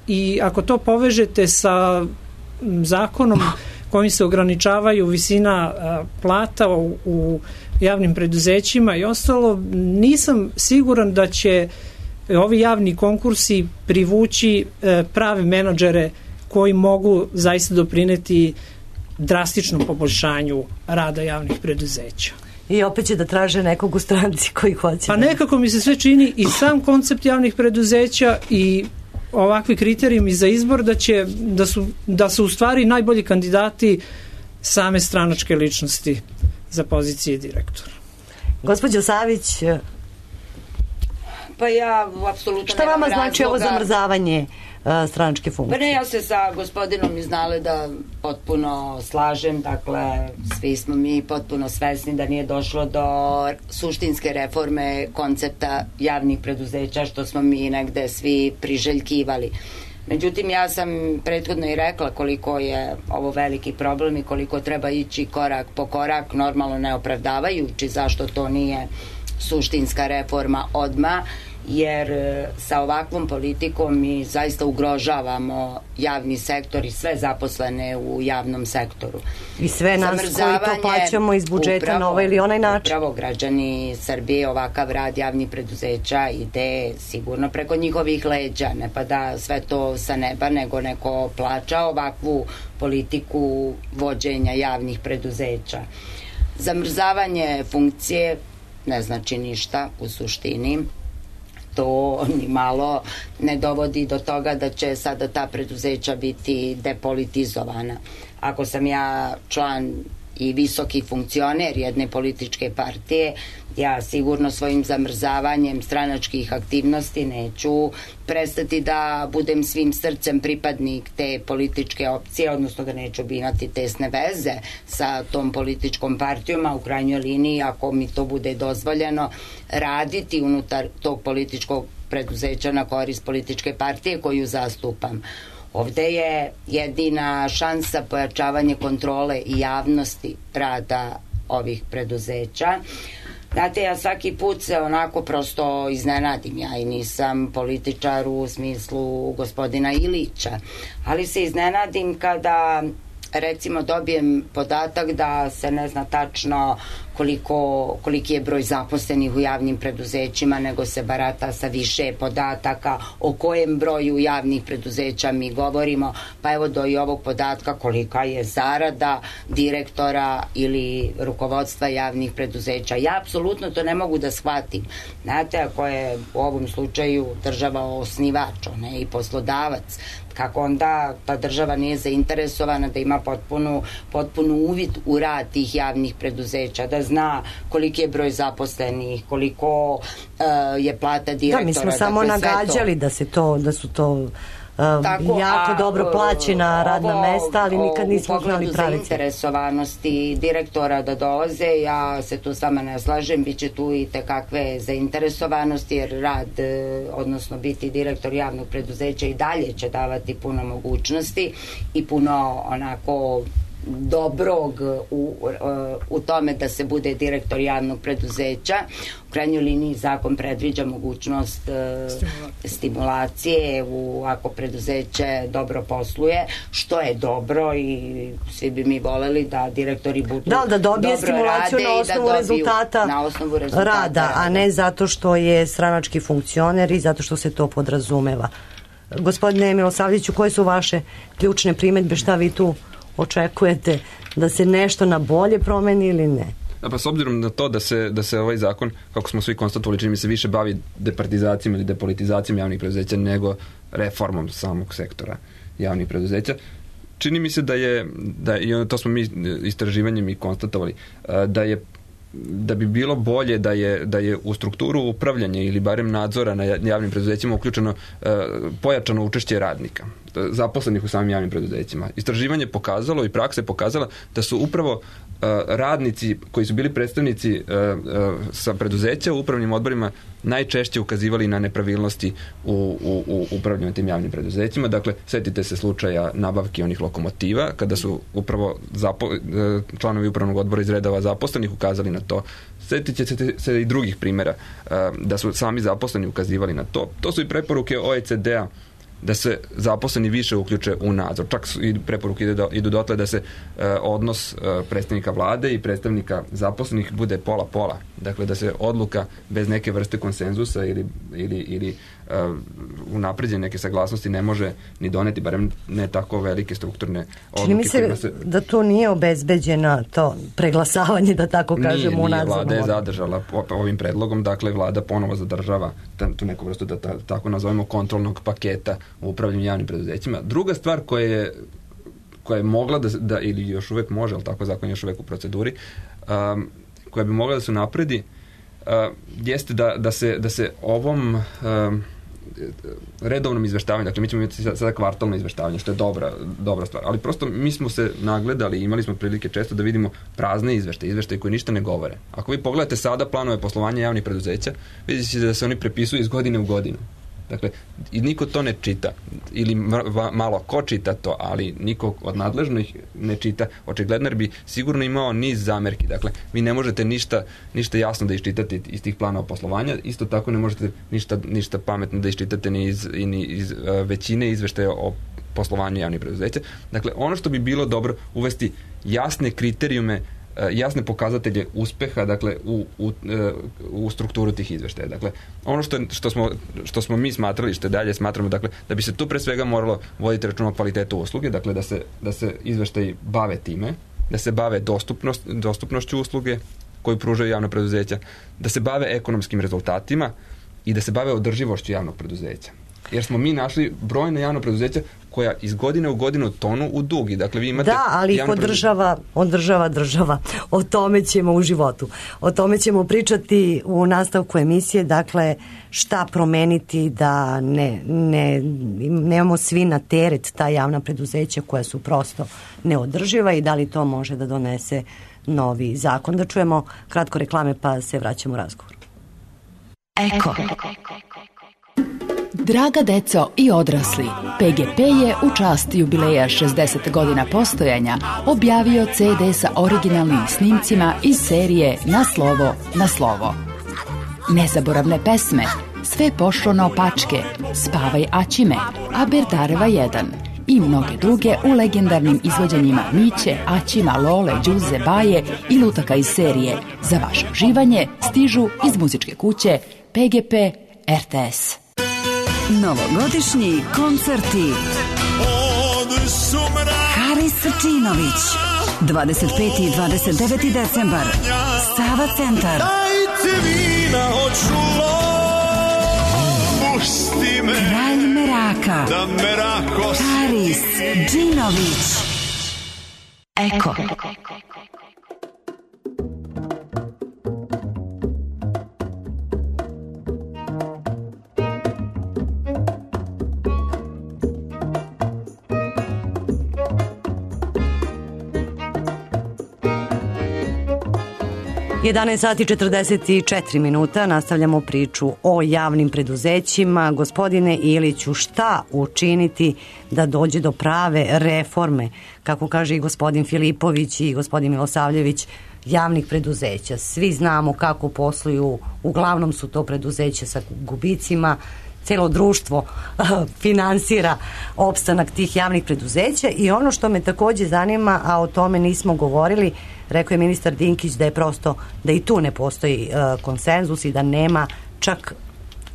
i ako to povežete sa zakonom kojim se ograničavaju visina plata u javnim preduzećima i ostalo, nisam siguran da će ovi javni konkursi privući prave menadžere koji mogu zaista doprineti drastičnom poboljšanju rada javnih preduzeća. I opet će da traže nekog u stranci koji hoće. Pa nekako mi se sve čini i sam koncept javnih preduzeća i ovakvi kriterijumi za izbor da su u stvari najbolji kandidati same stranačke ličnosti za pozicije direktora. Gospođo Savić, pa ja apsolutno šta vama znači ovo zamrzavanje stranačke funkcije? Pa ne, ja se sa gospodinom iz Naleda potpuno slažem, dakle svi smo mi potpuno svesni da nije došlo do suštinske reforme koncepta javnih preduzeća što smo mi negde svi priželjkivali. Međutim, ja sam prethodno i rekla koliko je ovo veliki problem i koliko treba ići korak po korak, normalno ne opravdavajući zašto to nije suštinska reforma odmah, jer sa ovakvom politikom mi zaista ugrožavamo javni sektor i sve zaposlene u javnom sektoru. I sve nas koji to plaćamo iz budžeta na ovaj ili onaj način. Upravo građani Srbije, ovakav rad javnih preduzeća ide sigurno preko njihovih leđa, ne pa da sve to sa neba, nego neko plaća ovakvu politiku vođenja javnih preduzeća. Zamrzavanje funkcije ne znači ništa u suštini. To ni malo ne dovodi do toga da će sada ta preduzeća biti depolitizovana. Ako sam ja član i visoki funkcioner jedne političke partije, ja sigurno svojim zamrzavanjem stranačkih aktivnosti neću prestati da budem svim srcem pripadnik te političke opcije, odnosno da neću imati tesne veze sa tom političkom partijom, a u krajnjoj liniji, ako mi to bude dozvoljeno, raditi unutar tog političkog preduzeća na korist političke partije koju zastupam. Ovde je jedina šansa pojačavanje kontrole i javnosti rada ovih preduzeća. Znate, ja svaki put se onako prosto iznenadim, ja i nisam političar u smislu gospodina Ilića, ali se iznenadim kada recimo dobijem podatak da se ne zna tačno koliki je broj zaposlenih u javnim preduzećima, nego se barata sa više podataka o kojem broju javnih preduzeća mi govorimo, pa evo do i ovog podatka kolika je zarada direktora ili rukovodstva javnih preduzeća. Ja apsolutno to ne mogu da shvatim. Znate, ako je u ovom slučaju država osnivač, ona je i poslodavac, kako onda ta država nije zainteresovana da ima potpunu uvid u rad tih javnih preduzeća, da zna koliki je broj zaposlenih, koliko je plata direktora. Da, mi smo samo nagađali da su to jako dobro plaćena radna mesta, ali nikad nismo znali pravice. U zainteresovanosti direktora da dolaze, ja se tu s vama ne slažem, bit će tu i tekakve zainteresovanosti, jer rad, odnosno biti direktor javnog preduzeća i dalje će davati puno mogućnosti i puno onako dobrog u tome da se bude direktor javnog preduzeća. U krajnjoj liniji zakon predviđa mogućnost stimulacije ako preduzeće dobro posluje, što je dobro i svi bi mi voleli da direktori budu da dobije stimulaciju na osnovu rezultata rada, a ne zato što je stranački funkcioner i zato što se to podrazumeva. Gospodine Milosavljeviću, koje su vaše ključne primedbe, šta vi tu očekujete, da se nešto na bolje promeni ili ne? Pa s obzirom na to da se ovaj zakon, kako smo svi konstatovali, čini mi se više bavi departizacijom ili depolitizacijom javnih preduzeća nego reformom samog sektora javnih preduzeća, čini mi se da je to smo mi istraživanjem i konstatovali, da je da bi bilo bolje da je u strukturu upravljanja ili barem nadzora na javnim preduzećima uključeno pojačano učešće radnika, zaposlenih u samim javnim preduzećima. Istraživanje pokazalo i praksa je pokazala da su upravo radnici koji su bili predstavnici sa preduzeća u upravnim odborima najčešće ukazivali na nepravilnosti u upravljanju tim javnim preduzećima. Dakle, setite se slučaja nabavki onih lokomotiva, kada su upravo članovi upravnog odbora iz redova zaposlenih ukazali na to. Setite se i drugih primjera da su sami zaposleni ukazivali na to. To su i preporuke OECD-a da se zaposleni više uključe u nadzor. Čak i preporuke idu dotle da se odnos predstavnika vlade i predstavnika zaposlenih bude pola-pola. Dakle, da se odluka bez neke vrste konsenzusa ili unapređenja neke saglasnosti ne može ni doneti, barem ne tako velike strukturne odluke. Čini mi se da to nije obezbeđeno to preglasavanje, da tako kažemo, u nadzornom odboru. Vlada je zadržala ovim predlogom, dakle vlada ponovo zadržava tu neku vrstu, da tako nazovemo, kontrolnog paketa u upravljanju javnim preduzećima. Druga stvar koja je mogla da ili još uvek može, ali tako zakon je još uvek u proceduri, koja bi mogla da se napredi, jeste da se ovom redovnom izveštavanju, dakle mi ćemo imati sada kvartalno izveštavanje, što je dobra stvar, ali prosto mi smo se nagledali i imali smo prilike često da vidimo prazne izveštaje koji ništa ne govore. Ako vi pogledate sada planove poslovanja javnih preduzeća, vidite ćete da se oni prepisuju iz godine u godinu. Dakle, i niko to ne čita, ili malo ko čita to, ali niko od nadležnih ne čita, očigledno, jer bi sigurno imao niz zamerki. Dakle, vi ne možete ništa jasno da iščitate iz tih planova poslovanja, isto tako ne možete ništa pametno da iščitate ni iz većine izveštaja o poslovanju javnih preduzeća. Dakle, ono što bi bilo dobro uvesti jasne kriterijume, jasne pokazatelje uspeha, dakle, u strukturu tih izveštaja. Dakle, ono što smo mi smatrali, što dalje smatramo, dakle, da bi se tu pre svega moralo voditi računa o kvalitetu usluge, dakle, da se izveštaji bave time, da se bave dostupnošću usluge koju pružaju javna preduzeća, da se bave ekonomskim rezultatima i da se bave održivošću javnog preduzeća. Jer smo mi našli brojne javna preduzeća koja iz godine u godinu tonu u dug. I dakle, vi imate... Da, ali ih održava država. O tome ćemo u životu. O tome ćemo pričati u nastavku emisije. Dakle, šta promeniti da nemamo svi na teret ta javna preduzeća koja su prosto neodrživa i da li to može da donese novi zakon. Da čujemo kratko reklame pa se vraćamo u razgovor. Eko. Draga deco i odrasli, PGP je u čast jubileja 60 godina postojanja objavio CD sa originalnim snimcima iz serije Na slovo, na slovo. Nezaboravne pesme, Sve pošlo naopačke, Spavaj Aćime, Aberdareva 1 i mnoge druge u legendarnim izvođenjima Miće, Aćima, Lole, Đuze, Baje i lutaka iz serije. Za vaše uživanje stižu iz muzičke kuće PGP RTS. Novogodišnji koncerti. Haris Srčinović, 25. i 29. decembar, Sava centar. Kralj Meraka, Haris Džinović. Eko. Sati 44 minuta, nastavljamo priču o javnim preduzećima. Gospodine Iliću, šta učiniti da dođe do prave reforme, kako kaže i gospodin Filipović i gospodin Milosavljević, javnih preduzeća? Svi znamo kako posluju, uglavnom su to preduzeća sa gubicima, celo društvo finansira opstanak tih javnih preduzeća i ono što me takođe zanima, a o tome nismo govorili, rekao je ministar Dinkić da je prosto, da i tu ne postoji konsenzus i da nema čak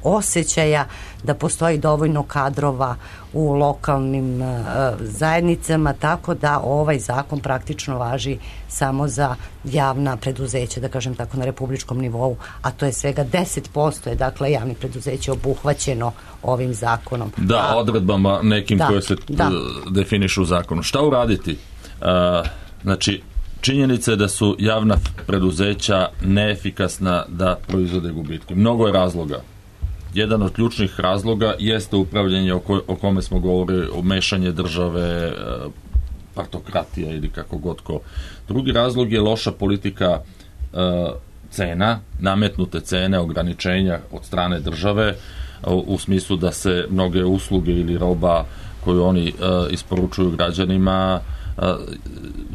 osjećaja da postoji dovoljno kadrova u lokalnim zajednicama, tako da ovaj zakon praktično važi samo za javna preduzeća, da kažem tako, na republičkom nivou, a to je svega 10% je, dakle, javnih preduzeća obuhvaćeno ovim zakonom. Da, odredbama nekim koje se definišu u zakonu. Šta uraditi? Znači, Činjenica je da su javna preduzeća neefikasna da proizvode gubitke. Mnogo je razloga. Jedan od ključnih razloga jeste upravljanje o kome smo govorili, o mešanje države, partokratija ili kako god ko. Drugi razlog je loša politika cena, nametnute cene, ograničenja od strane države u smislu da se mnoge usluge ili roba koju oni isporučuju građanima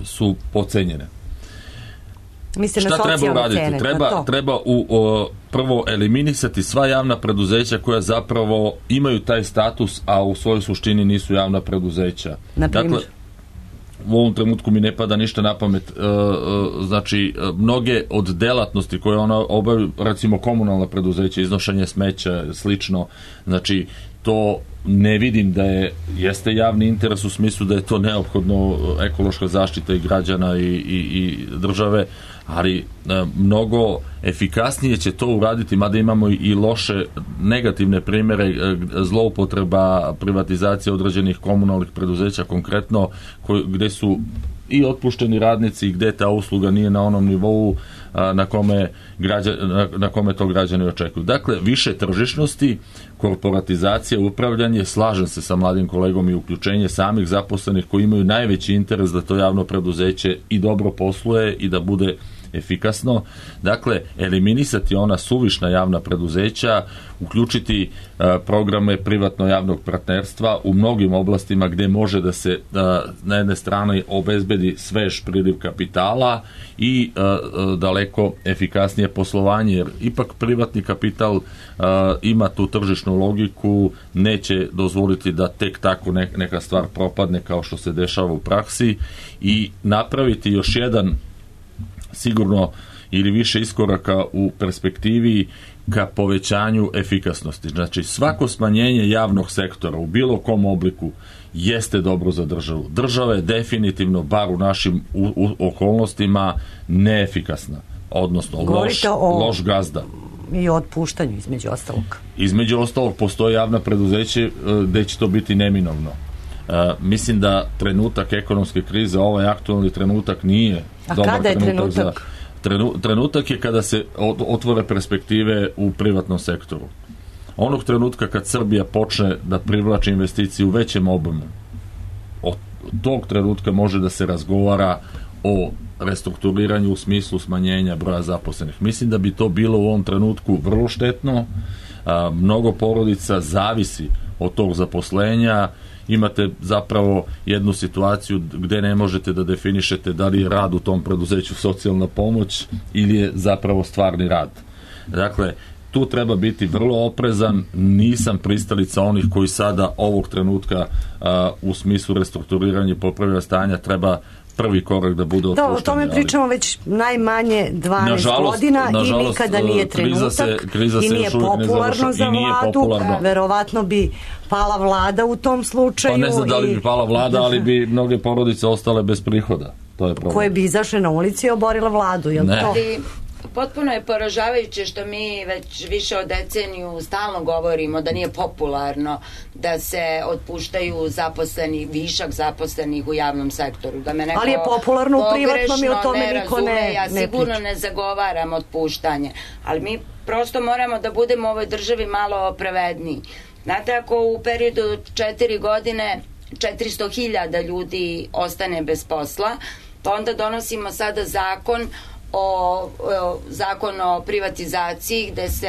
su pocenjene. Šta treba uraditi? Treba prvo eliminisati sva javna preduzeća koja zapravo imaju taj status, a u svojoj suštini nisu javna preduzeća. Dakle, u ovom trenutku mi ne pada ništa na pamet. Znači, mnoge od delatnosti koje ona obavlja, recimo komunalna preduzeća, iznošenje smeća, slično, znači, to ne vidim da jeste javni interes u smislu da je to neophodno ekološka zaštita i građana i države, ali mnogo efikasnije će to uraditi, mada imamo i loše negativne primjere zloupotreba privatizacije određenih komunalnih preduzeća, konkretno gde su i otpušteni radnici, gde ta usluga nije na onom nivou na kome to građani očekuju. Dakle, više tržišnosti, korporatizacija, upravljanje, slažem se sa mladim kolegom i uključenje samih zaposlenih koji imaju najveći interes da to javno preduzeće i dobro posluje i da bude efikasno. Dakle, eliminisati ona suvišna javna preduzeća, uključiti programe privatno-javnog partnerstva u mnogim oblastima gde može da se na jedne strane obezbedi svež priliv kapitala i daleko efikasnije poslovanje, jer ipak privatni kapital ima tu tržišnu logiku, neće dozvoliti da tek tako neka stvar propadne kao što se dešava u praksi, i napraviti još jedan sigurno ili više iskoraka u perspektivi ka povećanju efikasnosti. Znači, svako smanjenje javnog sektora u bilo kom obliku jeste dobro za državu. Država je definitivno, bar u našim okolnostima, neefikasna, odnosno loš gazda. I o otpuštanju, između ostalog. Između ostalog, postoji javna preduzeće gde će to biti neminovno. Mislim da trenutak ekonomske krize, ovaj aktualni trenutak, nije dobar trenutak. Trenutak je kada se otvore perspektive u privatnom sektoru. Onog trenutka kad Srbija počne da privlači investicije u većem obimu, od tog trenutka može da se razgovara o restrukturiranju u smislu smanjenja broja zaposlenih. Mislim da bi to bilo u ovom trenutku vrlo štetno. Mnogo porodica zavisi od tog zaposlenja. Imate zapravo jednu situaciju gde ne možete da definišete da li je rad u tom preduzeću socijalna pomoć ili je zapravo stvarni rad. Dakle, tu treba biti vrlo oprezan. Nisam pristalica onih koji sada ovog trenutka u smislu restrukturiranja i popravljanja stanja treba prvi korak da bude otpuštanje. Da, o tome pričamo već najmanje 12 godina i nikada nije trenutak i nije popularno za vladu. Verovatno bi pala vlada u tom slučaju. Pa ne znam da li bi pala vlada, ali bi mnoge porodice ostale bez prihoda. To je problem. Koje bi izašle na ulici i oborile vladu, je li to? Potpuno je poražavajuće što mi već više od deceniju stalno govorimo da nije popularno da se otpuštaju zaposleni, višak zaposlenih u javnom sektoru. Da me neko ali je popularno u privatnom i o tome niko ne ja sigurno ne zagovaram otpuštanje, ali mi prosto moramo da budemo u ovoj državi malo pravedniji. Znate, ako u periodu 4 godine 400.000 ljudi ostane bez posla, pa onda donosimo sada zakon o privatizaciji gde se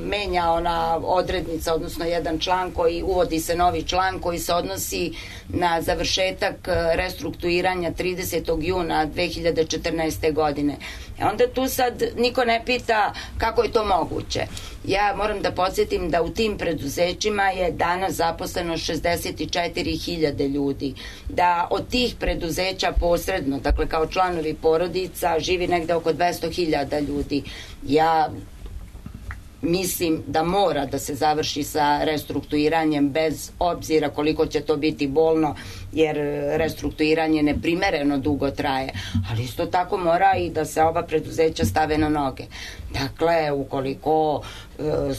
menja ona odrednica, odnosno jedan član koji uvodi se novi član koji se odnosi na završetak restrukturiranja 30. juna 2014. godine. Onda tu sad niko ne pita kako je to moguće. Ja moram da podsjetim da u tim preduzećima je danas zaposleno 64.000 ljudi. Da od tih preduzeća posredno, dakle kao članovi porodica, živi negde oko 200.000 ljudi. Ja mislim da mora da se završi sa restrukturiranjem bez obzira koliko će to biti bolno, jer restrukturiranje neprimereno dugo traje, ali isto tako mora i da se ova preduzeća stave na noge. Dakle, ukoliko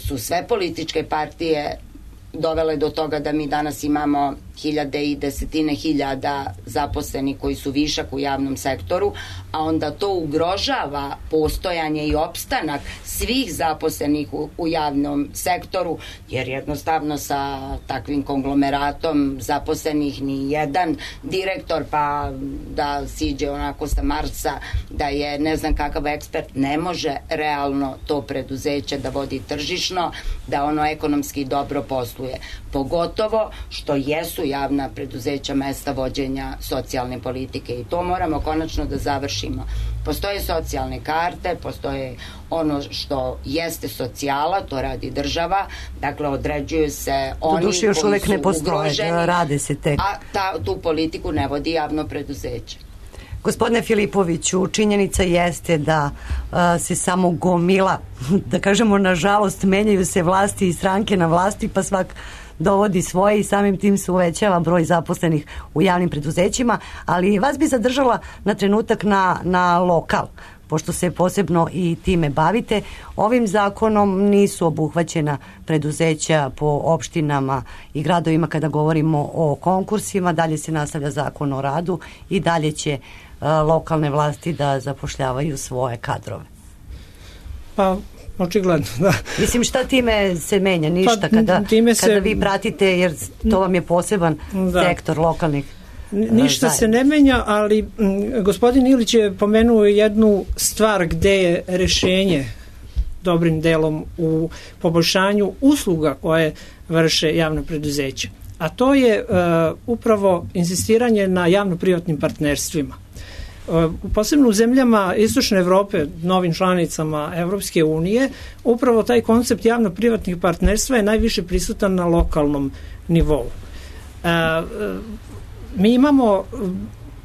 su sve političke partije dovele do toga da mi danas imamo hiljade i desetine hiljada zaposlenih koji su višak u javnom sektoru, a onda to ugrožava postojanje i opstanak svih zaposlenih u javnom sektoru, jer jednostavno sa takvim konglomeratom zaposlenih ni jedan direktor, pa da siđe onako sa Marsa, da je ne znam kakav ekspert, ne može realno to preduzeće da vodi tržišno, da ono ekonomski dobro posluje. Pogotovo što jesu javna preduzeća mesta vođenja socijalne politike i to moramo konačno da završimo. Postoje socijalne karte, postoje ono što jeste socijala, to radi država, dakle određuju se oni koji još uvek su ne postoje, ugroženi, rade se tek. A tu politiku ne vodi javno preduzeće. Gospodine Filipoviću, činjenica jeste da se samo gomila, da kažemo nažalost, menjaju se vlasti i stranke na vlasti, pa svak dovodi svoje i samim tim se uvećava broj zaposlenih u javnim preduzećima, ali vas bi zadržala na trenutak na lokal, pošto se posebno i time bavite. Ovim zakonom nisu obuhvaćena preduzeća po opštinama i gradovima kada govorimo o konkursima, dalje se nastavlja zakon o radu i dalje će lokalne vlasti da zapošljavaju svoje kadrove. Pa očigledno, da. Mislim, šta time se menja? Ništa, kada vi pratite, jer to vam je poseban sektor lokalnih ništa se ne menja, ali gospodin Ilić je pomenuo jednu stvar gde je rešenje dobrim delom u poboljšanju usluga koje vrše javno preduzeće. A to je upravo insistiranje na javno-privatnim partnerstvima. Posebno u zemljama Istočne Evrope, novim članicama Evropske unije, upravo taj koncept javno-privatnih partnerstva je najviše prisutan na lokalnom nivou. Mi imamo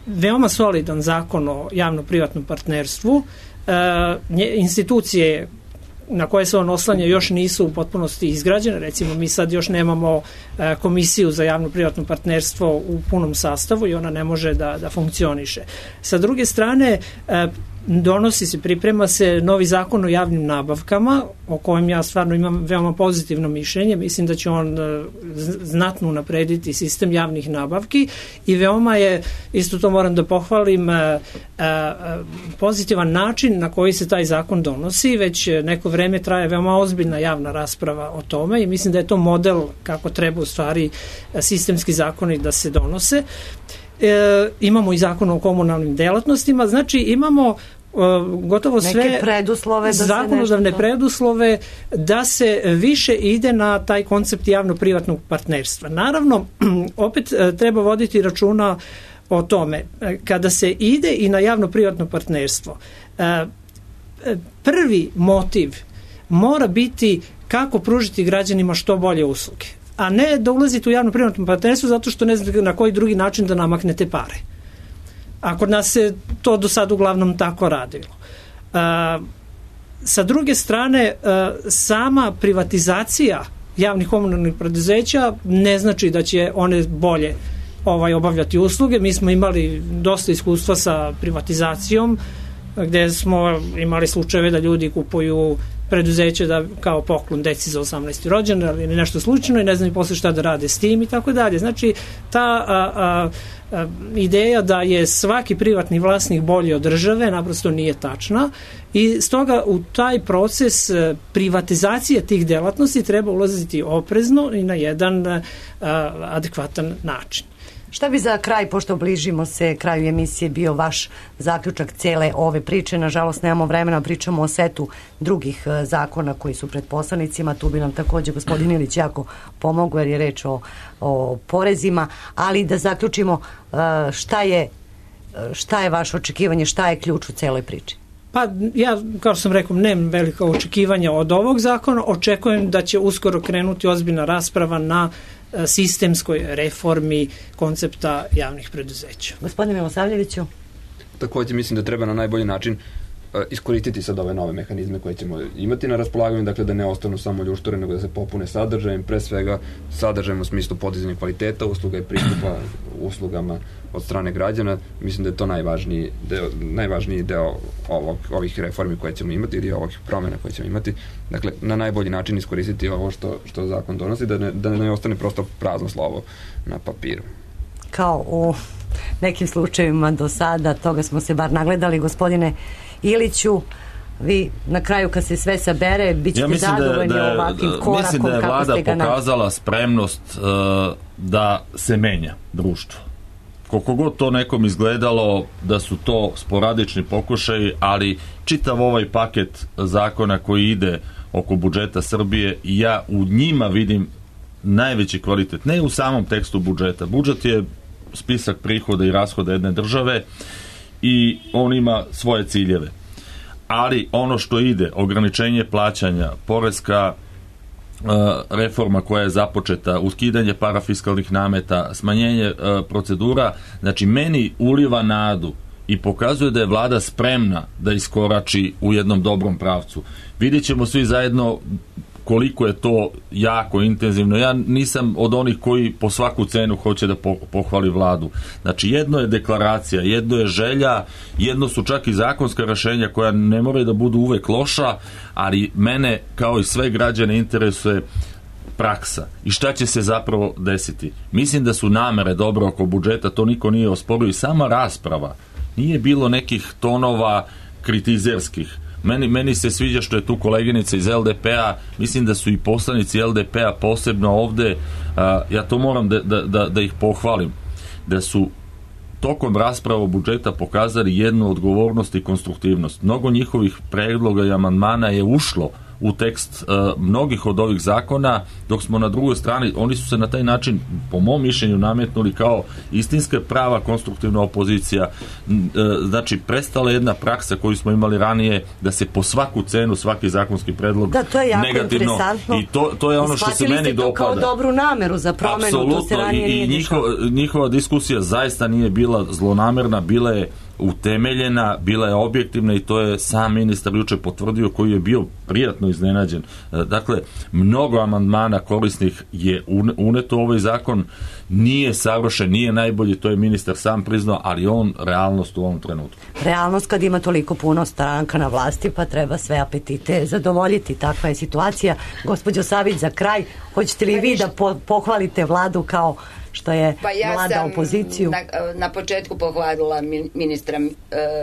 veoma solidan zakon o javno-privatnom partnerstvu. Institucije na koje se on oslanja još nisu u potpunosti izgrađene. Recimo, mi sad još nemamo komisiju za javno-privatno partnerstvo u punom sastavu i ona ne može da funkcioniše. Sa druge strane, priprema se novi zakon o javnim nabavkama, o kojem ja stvarno imam veoma pozitivno mišljenje. Mislim da će on znatno unaprediti sistem javnih nabavki i veoma je, isto to moram da pohvalim, pozitivan način na koji se taj zakon donosi. Već neko vreme traje veoma ozbiljna javna rasprava o tome i mislim da je to model kako treba u stvari sistemski zakoni da se donose. Imamo i zakon o komunalnim delatnostima, znači imamo gotovo sve zakonodavne preduslove da se više ide na taj koncept javno-privatnog partnerstva. Naravno, opet treba voditi računa o tome. Kada se ide i na javno-privatno partnerstvo, prvi motiv mora biti kako pružiti građanima što bolje usluge, a ne da ulazite u javno-privatno partnerstvo zato što ne znate na koji drugi način da namaknete pare. A kod nas se to do sad uglavnom tako radilo. Sa druge strane, sama privatizacija javnih komunalnih preduzeća ne znači da će one bolje obavljati usluge. Mi smo imali dosta iskustva sa privatizacijom, gde smo imali slučajeve da ljudi kupuju preduzeće da kao poklon deci za 18. rođendan ili nešto slučajno i ne znam i posle šta da rade s tim i tako dalje. Znači, ta ideja da je svaki privatni vlasnik bolji od države naprosto nije tačna i stoga u taj proces privatizacije tih delatnosti treba ulaziti oprezno i na jedan adekvatan način. Šta bi za kraj, pošto bližimo se kraju emisije, bio vaš zaključak cele ove priče? Nažalost, nemamo vremena, pričamo o setu drugih zakona koji su pred poslanicima. Tu bi nam takođe gospodin Ilić jako pomogao jer je reč o porezima, ali da zaključimo šta je vaše očekivanje, šta je ključ u celoj priči? Pa ja, kao što sam rekao, nemam velika očekivanja od ovog zakona. Očekujem da će uskoro krenuti ozbiljna rasprava na sistemskoj reformi koncepta javnih preduzeća. Gospodine Milosavljeviću? Takođe mislim da treba na najbolji način iskoristiti sad ove nove mehanizme koje ćemo imati na raspolaganju, dakle da ne ostanu samo ljuštore, nego da se popune sadržajem, pre svega sadržajem u smislu podizanja kvaliteta usluga i pristupa uslugama od strane građana. Mislim da je to najvažniji deo ovih reformi koje ćemo imati ili ovih promjena koje ćemo imati. Dakle, na najbolji način iskoristiti ovo što zakon donosi, da ne ostane prosto prazno slovo na papiru. Kao u nekim slučajevima do sada, toga smo se bar nagledali. Gospodine Iliću, vi na kraju kad se sve sabere, bit ćete zadovoljni ovakvim korakom. Mislim da je vlada pokazala spremnost da se menja društvo. Koliko god to nekom izgledalo da su to sporadični pokušaji, ali čitav ovaj paket zakona koji ide oko budžeta Srbije, ja u njima vidim najveći kvalitet. Ne u samom tekstu budžeta. Budžet je spisak prihoda i rashoda jedne države i on ima svoje ciljeve. Ali ono što ide, ograničenje plaćanja, poreska reforma koja je započeta, ukidanje parafiskalnih nameta, smanjenje procedura, znači meni uliva nadu i pokazuje da je vlada spremna da iskorači u jednom dobrom pravcu. Vidjet ćemo svi zajedno koliko je to jako intenzivno. Ja nisam od onih koji po svaku cenu hoće da pohvali vladu. Znači, jedno je deklaracija, jedno je želja, jedno su čak i zakonska rešenja koja ne moraju da budu uvek loša, ali mene, kao i sve građane, interesuje praksa i šta će se zapravo desiti. Mislim da su namere dobro oko budžeta, to niko nije osporio i sama rasprava. Nije bilo nekih tonova kritizerskih. Meni se sviđa što je tu koleginica iz LDP-a, mislim da su i poslanici LDP-a posebno ovde, ja to moram da ih pohvalim, da su tokom rasprava budžeta pokazali jednu odgovornost i konstruktivnost. Mnogo njihovih predloga i amandmana je ušlo u tekst mnogih od ovih zakona, dok smo na drugoj strani, oni su se na taj način, po mom mišljenju, nametnuli kao istinska prava konstruktivna opozicija. Znači, prestala jedna praksa koju smo imali ranije, da se po svaku cenu svaki zakonski predlog negativno. Da, to je jako interesantno. I to je ono što se meni dopada. Kao dobru nameru za promenu, to se ranije nije dešavalo. I njihova diskusija zaista nije bila zlonamerna, bila je utemeljena, bila je objektivna i to je sam ministar juče potvrdio, koji je bio prijatno iznenađen. Dakle, mnogo amandmana korisnih je uneto u ovaj zakon, nije savršen, nije najbolji, to je ministar sam priznao, ali on realnost u ovom trenutku. Realnost kad ima toliko puno stranka na vlasti, pa treba sve apetite zadovoljiti, takva je situacija. Gospođo Savić, za kraj, hoćete li vi da pohvalite vladu kao što je vlada opoziciju? Na početku pohvalila ministra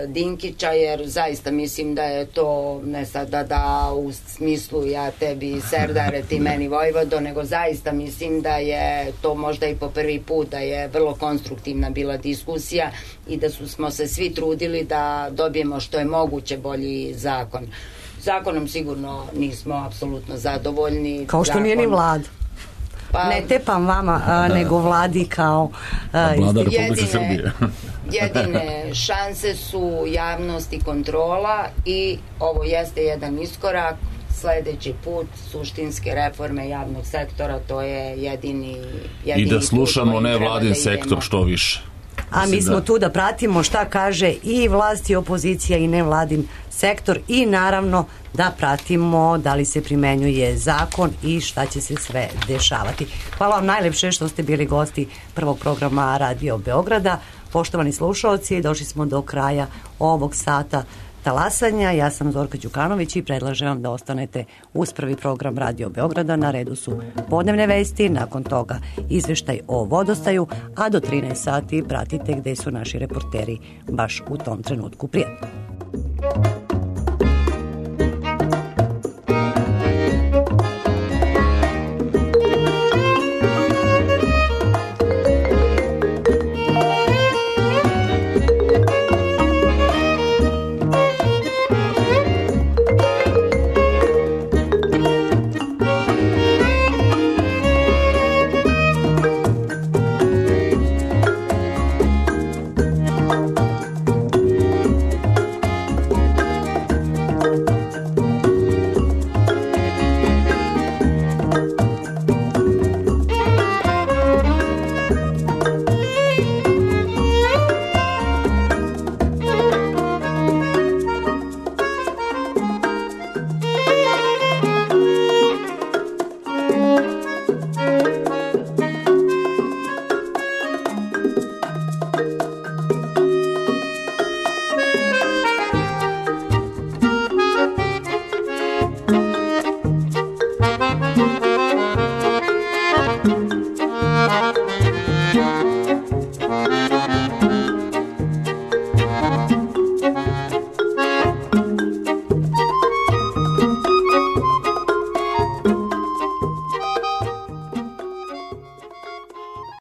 Dinkića, jer zaista mislim da je to ne sada da u smislu ja tebi serdare, ti meni vojvodo, nego zaista mislim da je to možda i po prvi put da je vrlo konstruktivna bila diskusija i da smo se svi trudili da dobijemo što je moguće bolji zakon. Zakonom sigurno nismo apsolutno zadovoljni. Kao što nije ni vlada. Ne tepam vama, nego vladi kao vlada Republike Srbije. Jedine šanse su javnost i kontrola i ovo jeste jedan iskorak. Sledeći put suštinske reforme javnog sektora, to je jedini i da slušamo nevladin sektor što više. A mi smo tu da pratimo šta kaže i vlast i opozicija i nevladin sektor i naravno da pratimo da li se primenjuje zakon i šta će se sve dešavati. Hvala vam najlepše što ste bili gosti prvog programa Radio Beograda. Poštovani slušaoci, došli smo do kraja ovog sata talasanja. Ja sam Zorka Đukanović i predlažem vam da ostanete uz prvi program Radio Beograda. Na redu su podnevne vesti, nakon toga izveštaj o vodostaju, a do 13 sati pratite gde su naši reporteri baš u tom trenutku. Prijatno.